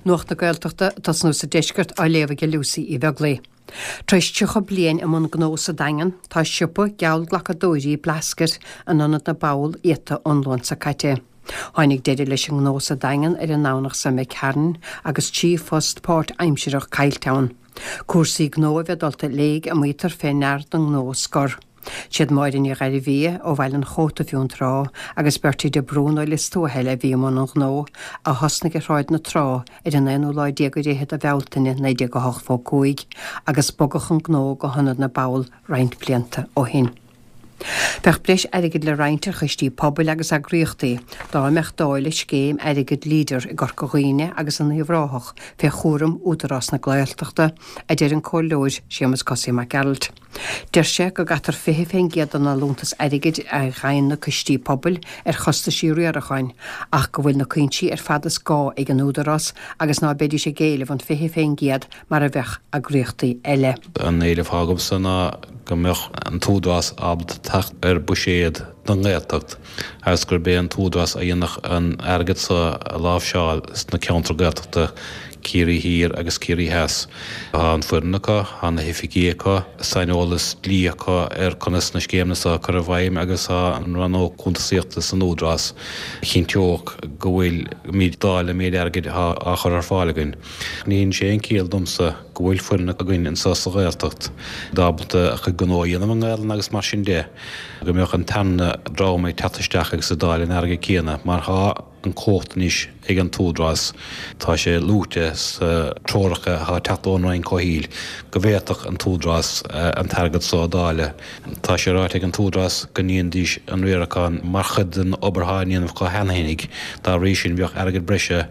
Nuacht na Gaeltachta ag tosnú sa deisceart á léamh ag Lucy Uí Bheaglaoi. Tar éis 30 bliain i mbun gnó sa Daingean, tá siopa geallghlacadóirí Blasket in Ionad na bPobal iata ón Luan seo caite. Tháinig deireadh leis an ngnó sa Daingean ar an nDomhnach seo imigh tharainn agus 3 phost páirt-aimsireach caillte ann. Cúrsaí gnó a bheith dulta i léig a maítear fé ndear don ngnó scor. Siad Máire Ní Ghairbhia ó Bhaile an Chóta Fionntrá agus Bertie de Brún ó Lios Tuathail a bhí i mbun an ghnó, a thosnaigh ar Shráid na Trá ar an aonú lá déag ar fhichead de Bhealtaine 1985 agus bogadh an gnó go hIonad na bPobal roinnt blianta ó shin. Bheadh breis airgid le roinnt ar choistí pobail agus eagraíochtaí dá mbeadh dáileadh scéim airgid Leader i gCorca Dhuibhne agus in Uíbh Ráthach fé chúram Údarás na Gaeltachta, a deir an Comhairleoir Séamus Cosaí Mac Gearailt. Deir sé go gcaitear 20% den allúntas airgid a fhaigheann na coistí pobail ar chostaisí riaracháin ach go bhfuil na cuinsí ar fad is gá ag an Údarás agus ná beidís ag éileamh an 20% mar a bheadh eagraíochtaí eile. An éileamh atá agamsa ná go mbeadh an tÚdarás ábalta teacht ar buiséad don nGaeltacht agus gurb é an tÚdarás a dhéanfadh an airgead so a láimhseáil sna ceantair Gaeltachta, Ciarraí Thiar agus Ciarraí Theas. Tá an foireann acu, tá na hoifigigh acu, saineolas dlí acu ar conas na scéimeanna so a chur i bhfeidhm agus tá an rannóg cuntasaíochta san Údarás a chinnteodh go bhfuilimid ag dáileadh an méid airgid atá á chur ar fáil againn. Ní dhéanann sé aon ciall domsa go bhfuil foireann againn anso sa Ghaeltacht ábalta a chuid gnó a dhéanamh i nGaelainn agus mar sin de, go mbeadh an tarna dream ag teacht isteach agus ag dáileadh an airgid céanna mar tá an cumhacht anois ag an tÚdarás, tá sé luaite sa treoracha atá ag teacht ón Roinn Comhshaoil go bhféadfadh an tÚdarás an t-airgead so a dháileadh. Tá sé ráite ag an tÚdarás go ndéanfaidís an riarachán mar chuid den obair atá á ndéanamh acu cheana fhéinig, dá bhrí sin bheadh airgead breise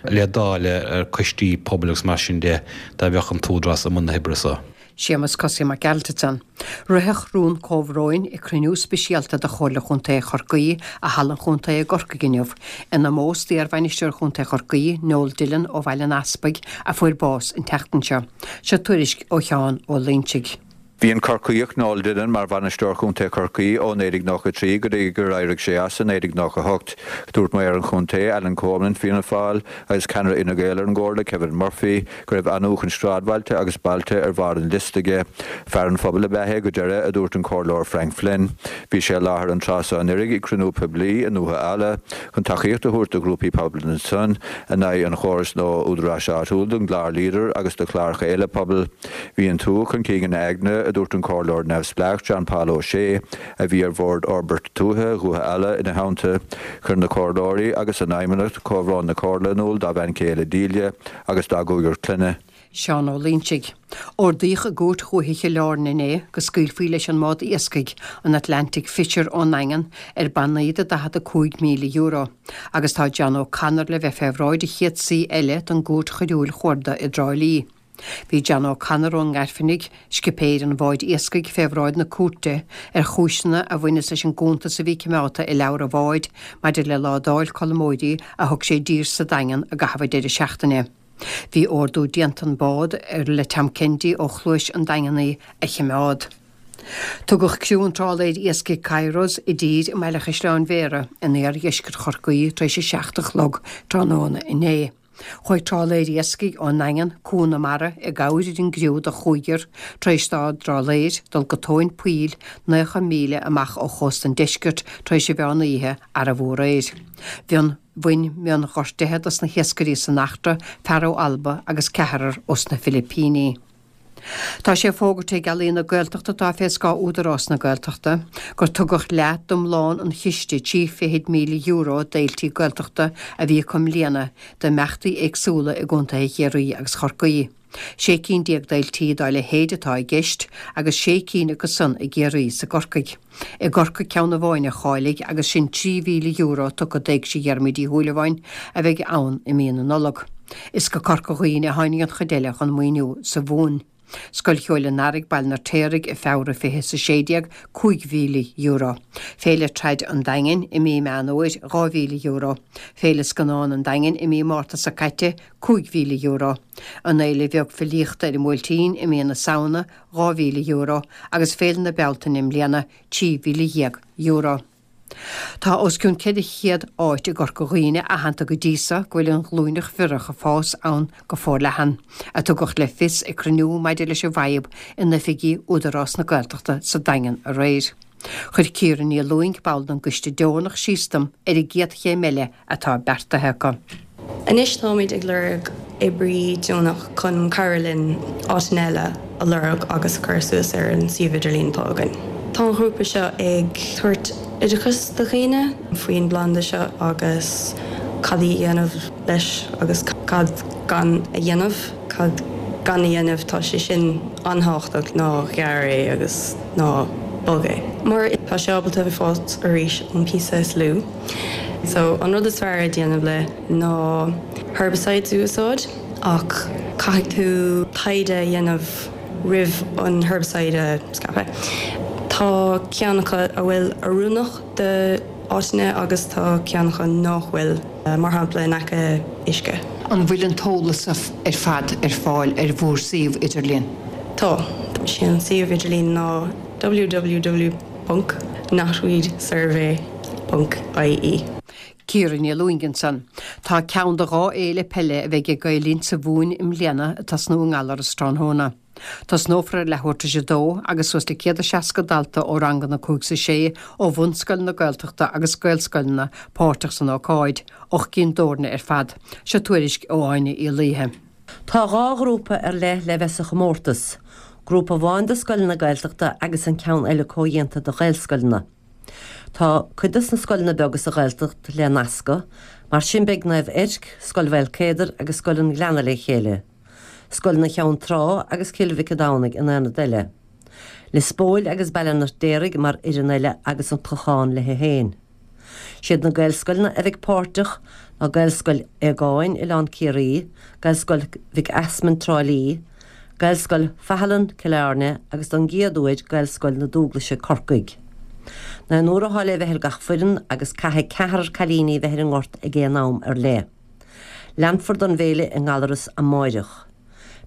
le dáileadh ar coistí pobail agus mar sin de dá mbeadh an tÚdarás i mbun na hoibre so. Séamus Cosaí Mac Gearailt ansan. Ritheadh rún comhbhróin ag cruinniú speisialta de Chomhairle Chontae Chorcaí i Halla an Chontae i gCorcaigh inniu, in omós d'iar-bhainisteoir Chontae Chorcaí, Noel Dillon ó Bhaile an Easpaig, a fuair bás an tseachtain seo. Seo tuairisc ó Sheán Ó Loinsigh. Bhí an Corcaíoch Noel Dillon mar bhainisteoir Chontae Chorcaí ó 1993 go dtí gur éirigh sé as i 1998. Dúirt Maor an Chontae, Alan Coleman, Fianna Fáil, agus ceannaire Fhine Gael ar an gComhairle, Kevin Murphy, go raibh athnuachan sráidbhailte agus bailte ar bharr an liosta aige. Fear an phobail ab ea é go deireadh, a dúirt an Comhairleoir Frank Flynn. Bhí sé i láthair an tráth seo anuraidh ag cruinniú poiblí i nDúiche Ealla chun tacaíocht a thabhairt do ghrúpaí pobail ansan in aghaidh an chórais nua údaráis áitiúil don gclár Leader agus do chláracha eile pobail. Bhí an tuath chun cinn ina aigne, a dúirt an Comhairleoir neamhspleách John Paul O'Shea, a bhí ar Bhord Fhorbairt Tuaithe Dhúiche Ealla ina theannta. Chuir na Comhairleoirí agus a n-fheidhmeannacht comhbhrón na Comhairle in iúl dá bhean chéile Delia agus dá gcúigear clainne. Seán Ó Loinsigh. Ordaíodh i gCúirt Dhúiche Chill Airne inné go scaoilfí leis an mbád iascaigh, an Atlantic Fisher ón nDaingean, ar bannaí de €45,000, agus tá John O'Connor le bheith fé bhráid a chéad suí eile don gCúirt Choiriúil Chuarda i dTrá Lí. Bhí John O'Connor ón nGairfeanaigh, scipéir an bháid iascaigh, fé bhráid na cúirte ar chúiseanna a bhaineas leis an gcuntas a bhí cimeádta i leabhar an bháid maidir le ládáil colmóirí a thug sé i dtír sa Daingean i gcaitheamh an deireadh seachtaine. Bhí ordú déanta an bád, ar le Tom Kennedy ó Chluais an Daingean í, a chimeád. Tugadh criú an trálaeir iascaigh Kairos i dtír i mBaile Chaisleáin Bhéarra in iardheisceart Chorcaí tar éis a 7 a chlog tráthnóna inné. Chuaigh trálaer iascaigh ón nDaingean, Cuan na Mara, i gcabhair ar an gcriú de chúigear tar éis dá dtrálaer dul go tóin poill 90 míle amach ó chósta an deiscirt tar éis an mheán oíche arbh aréir. Bhionn bhain mionghortuithe dos na hiascairí san eachtra, fear ó Alba agus ceathrar ós na Filipíní. Tá sé fógartha ag Ealaíon na Gaeltachta atá fé scáth Údarás na Gaeltachta gur tugadh leath d'iomlán an chiste €320,000 d'fhéiltí Gaeltachta a bhí acu i mbliana d'imeachtaí éagsúla i gcontaetha Chiarraí agus Chorcaí. 16 cinn d'fhéiltí dá leithéid atá i gceist agus sé cinn acu san i gCiarraí is i gCorcaigh. I gCorcaigh ceann amháin a cháiligh agus sin €3,000 tugtha d'Éigse Dhiarmuid Uí Shúilleabháin a bheidh ann i mí na Nollag. Is go Corca Dhuibhne a tháinig an chuid eile den mhaoiniú sa bhun. Scoil Cheoil an Earraigh, Baile an Fheirtéaraigh, i Feabhra 2016, €5,000. Féile Trad an Daingin i mí Meán Fhómhair, €2,000. Féile Scannán an Daingin i mí Márta seo caite, €5,000. An Fhéile Bheag Filíochta ar an mBuailtín i mí na Samhna, €2,000 agus Féile na Bealtaine i mbliana, €13,000. Tá os cionn 400 áit i gCorca Dhuibhne aitheanta go dtí so go bhfuil an ghlúineach bhiorach ag fás ann go forleathan, a tugadh le fios ag cruinniú maidir leis an bhfadhb in oifigí Údarás na Gaeltachta sa Daingean aréir. Chuir Ciara Ní Lúing, ball den gcoiste deonach, síos dom ar an gcéad chéim eile atá beartaithe acu. Anois táimid ag lorg oibrí deonach chun cabhrú linn áiteanna eile a lorg agus a chur suas ar an suíomh idirlín atá againn. Tá an ghrúpa seo ag tabhairt oideachas do dhaoine faoin bplanda seo agus cad a dhéanamh leis agus cad gan a dhéanamh. Cad gan a dhéanamh, tá sé sin an-thábhachtach, ná gearr é agus ná bog é mar tá sé ábalta fás arís ón píosa is lú. So an rud is fearr a déanamh le ná herbicides a úsáid ach caithfidh tú taighde a dhéanamh roimh an herbicide a scaipeadh. Tá ceann acu a bhfuil oiriúnach do áiteanna agus tá ceann acu nách bhfuil, mar shampla in aice uisce. An bhfuil an t-eolas ar fad ar fáil ar bhur suíomh idirlín? Tá. Sé an suíomh idirlín ná www. Ponc knotweedsurvey ponc ie. Ciara Ní Lúing ansan. Tá ceann de dhá fhéile peile a bheidh ag Gael Linn sa Mhumhain i mbliana ag tosnú i nGallaras tráthnóna. Tosnófar ar leathuair tar éis a dó agus suas le 160 dalta ó ranganna 5 's 6 ó bhunscoileanna Gaeltachta agus Gaelscoileanna páirteach san ócáid, 8 gcinn d'fhoirne ar fad. Seo tuairisc ó Áine Uí Laoithe. Tá 2 ghrúpa ar leith le bheith sa chomórtas, grúpa amháin do scoileanna Gaeltachta agus an ceann eile comhdhéanta de Ghaelscoileanna. Tá cuid dos na scoileanna beaga sa Ghaeltacht le nascadh, mar sin beidh Naomh Eirc, Scoil Mhaolcéadair agus Scoil an Ghleanna le chéile, Scoileanna Cheann Trá agus Cill Mhic an Domhnaigh in aonad eile, Lios Póil agus Baile an Fheirtéaraigh mar fhoireann eile agus an Clochán léi féin. Siad na Gaelscoileanna a bheidh páirteach ná Gaelscoil Aogáin, Oileán Ciarraí, Gaelscoil Mhic Easmainn, Trá Lí, Gaelscoil Faithleann, Cill Airne agus don gcéad uair Gaelscoil na Dúglaise, Corcaigh. Naonúr atá le bheith ar gach foireann agus caithfidh ceathrar cailíní bheith ar an ngort ag aon am ar leith. Leanfar don bhféile i nGallaras amáireach.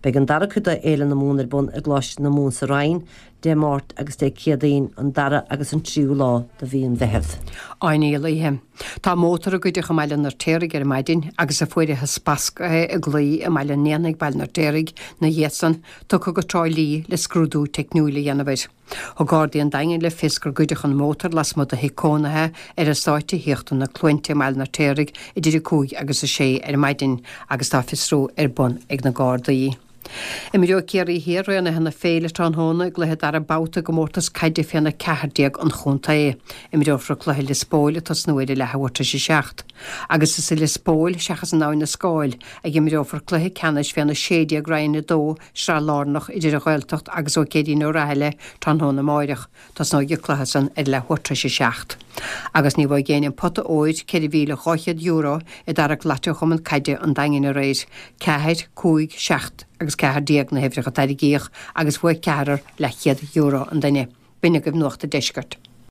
Beidh an dara cuid de Fhéile na Mumhan ar bun i gColáiste na Mumhan sa Rinn Dé Máirt agus Dé Céadaoin, an dara agus an tríú lá de mhí an Mheithimh. Áine Uí Laoithe. Tá mótar a goideadh i mBaile an Fheirtéaraigh ar maidin agus a fuaireathas basctha i gclaí i mBaile an Éanaigh, Baile an Fheirtéaraigh, 'na dhiaidh san, tugtha go Trá Lí le scrúdú teicniúil a dhéanamh air. Thug Gardaí an Daingin le fios gur goideadh an mótar lasmuigh de thigh cónaithe ar eastát tithíochta Na Cluainte i mBaile an Fheirtéaraigh idir 5 agus 6 ar maidin agus tá fiosrú ar bun ag na Gardaí. Imreoidh Ciarraí Thiar roghnaithe na féile tráthnóna i gcluiche dara babhta i gcomórtas caide féna 14 an chontae. Imreofar an cluiche i Lios Póil ag tosnú ar a leathuair tar éis a 7. Agus is i Lios Póil, seachas in Abhainn na Scáil, a imreofar cluiche ceannais féna 16 Roinn 2, Sraith Lárnach, idir an Ghaeltacht agus Ó Céirín Ó Rathaille tráthnóna amáireach. Tosnóidh an cluiche san ar leathuair tar éis a 7. Agus ní bhfaighidh éinne an pota óir, €4,200, i dtarrac Lotto Chumann Caide an Daingin aréir. 4, 5, 7 agus 14 na huimhreacha a tarraingíodh agus bhuaigh ceathrar leathchéad euro an duine. B'in agaibh Nuacht an Deiscirt.